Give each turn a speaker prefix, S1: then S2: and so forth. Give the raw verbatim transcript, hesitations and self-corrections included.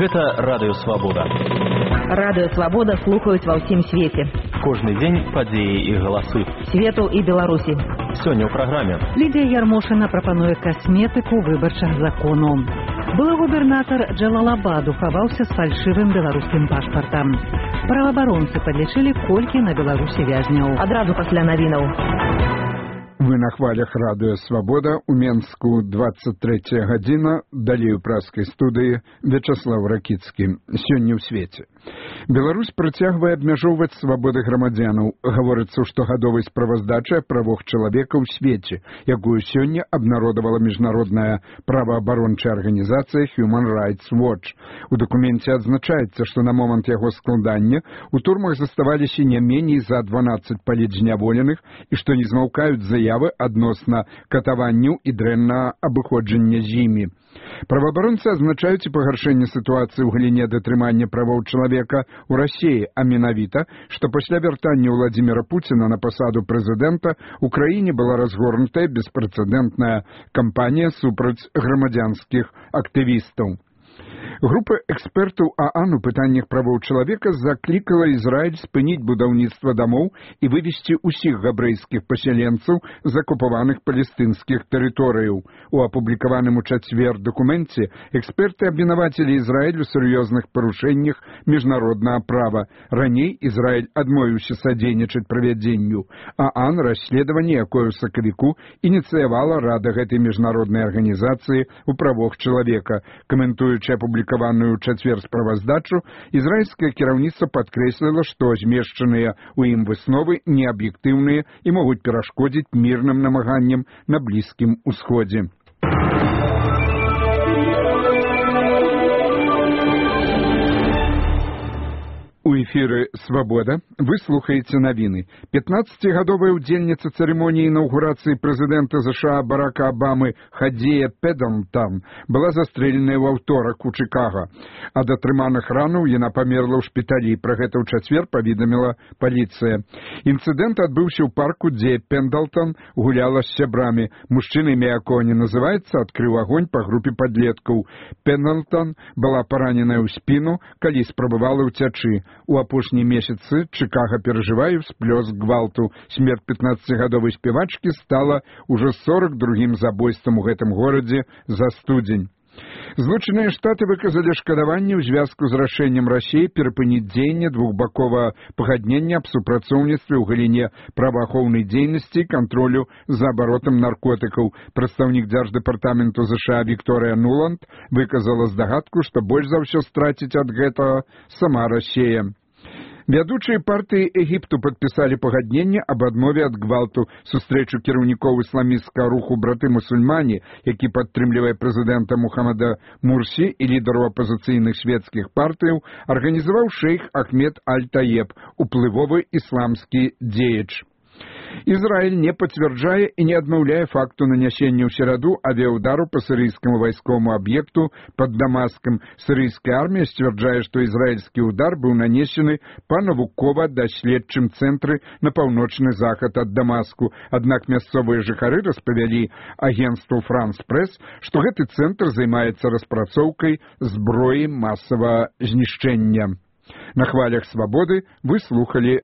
S1: Гэта Радыё Свабода.
S2: Радыё Свабода слухаюць ва ўсім свеце.
S1: Кожны дзень падзеі і галасы.
S2: Свету і Беларусі.
S1: Сёння ў праграме.
S3: Лідія Ярмошына прапануе касметыку выбарчых законаў. Былы губернатар Джалалабаду хаваўся з фальшывым беларускім пашпартам. Праваабаронцы падлічылі, колькі на Беларусі вязняў.
S2: Адразу пасля навінаў.
S4: Вы на хвалях Радыё Свабода, у Менску двадцать третья гадзіна, далей у праскай студыі Вячаслав Ракіцкі. Сёння ў свеце. Беларусь працягвае абмяжоўваць свабоды грамадзянаў. Гаворыцца ў штогадовай справаздачы правоў чалавека ў свеце, якую сёння абнародавала міжнародная праваабарончая арганізацыя Human Rights Watch. У дакуменце адзначаецца, што на момант яго складання у турмах заставаліся не меней за дванаццаць палітзняволеных і што не змаўкаюць заявы адносна катаванняў і дрэннага абыходжання з імі. Праваабаронцы азначаюць і пагаршэнне сітуацыі ў галіне датрымання правоў чалавека ў Расіі, а менавіта, што пасля вяртання Владзіміра Пуціна на пасаду прэзідэнта ў краіне была разгорнутая беспрэцэдэнтная кампанія супраць грамадзянскіх актывістаў. Група экспертаў ААН у пытаннях правоў чалавека заклікала Ізраіль спыніць будаўніцтва дамоў і вывесці ўсіх габрэйскіх пасяленцаў з акупаваных палестынскіх тэрыторыяў. У апублікаваным у чацвер дакуменце эксперты абвінавацілі Ізраіль у сур'ёзных парушэннях міжнароднага права. Раней Ізраіль адмовіўся садзейнічаць правядзенню ААН расследаванне, якое ў сакавіку ініцыявала Рада гэтай міжнароднай арганізацыі ў правах чалавека. Каментуючы апублікаваную ў чацвер справаздачу, ізраільскае кіраўніцтва падкрэсліла, што змешчаныя ў ім высновы неаб'ектыўныя і могуць перашкодзіць мірным намаганням на Блізкім Усходзе. У эфіры «Свабода» вы слухаеце навіны. пятнаццацігадовая ўдзельніца цырымоніі інаўгурацыі прэзідэнта ЗША Барака Абамы Хадзея Пэддэнтан была застрэленая ў аўторак у Чыкага. Ад атрыманых ранаў яна памерла ў шпіталі. Пра гэта ў чацвер паведаміла паліцыя. Інцыдэнт адбыўся ў парку, дзе Пэндалтан гуляла з сябрамі. Мужчына, імя якога не называецца, адкрыў агонь па групе падлеткаў. Пэндалтан была параненая ў спіну, калі спрабавала ўцячы. У апошнія месяцы Чыкага перажывае ўсплёск гвалту. Смерць пятнаццацігадовай спявачкі стала ўжо сорок другім забойствам у гэтым горадзе за студзень. Злучаныя Штаты выказалі шкадаванне ў звязку з рашэннем Расіі перапыніць дзеянне двухбаковага пагаднення аб супрацоўніцтве ў галіне праваахоўнай дзейнасці і кантролю за абаротам наркотыкаў. Прадстаўнік дзярждэпартаменту ЗША Вікторыя Нуланд выказала здагадку, што больш за ўсё страціць ад гэтага сама Расія. Вядучыя партыі Егіпту падпісалі пагадненне аб адмове ад гвалту. Сустрэчу кіраўнікоў ісламісцкага руху браты-мусульмане, які падтрымлівае прэзідэнта Мухаммада Мурсі і лідару апазіцыйных свецкіх партыяў, арганізаваў шэйх Ахмед Аль-Таеб, уплывовы ісламскі дзеяч. Ізраіль не пацвярджае і не адмаўляе факту нанясення ў сераду авіаудару па сірыйскаму вайсковаму аб'екту пад Дамаскам. Сірыйская армія сцвярджае, што ізраільскі ўдар быў нанесены па навукова-даследчым цэнтры на паўночны захад ад Дамаску. Аднак мясцовыя жыхары распавялі агенцтву «Франс-Прэс», што гэты цэнтр займаецца распрацоўкай зброі масавага знішчэння. На хвалях «Свабоды» вы слухалі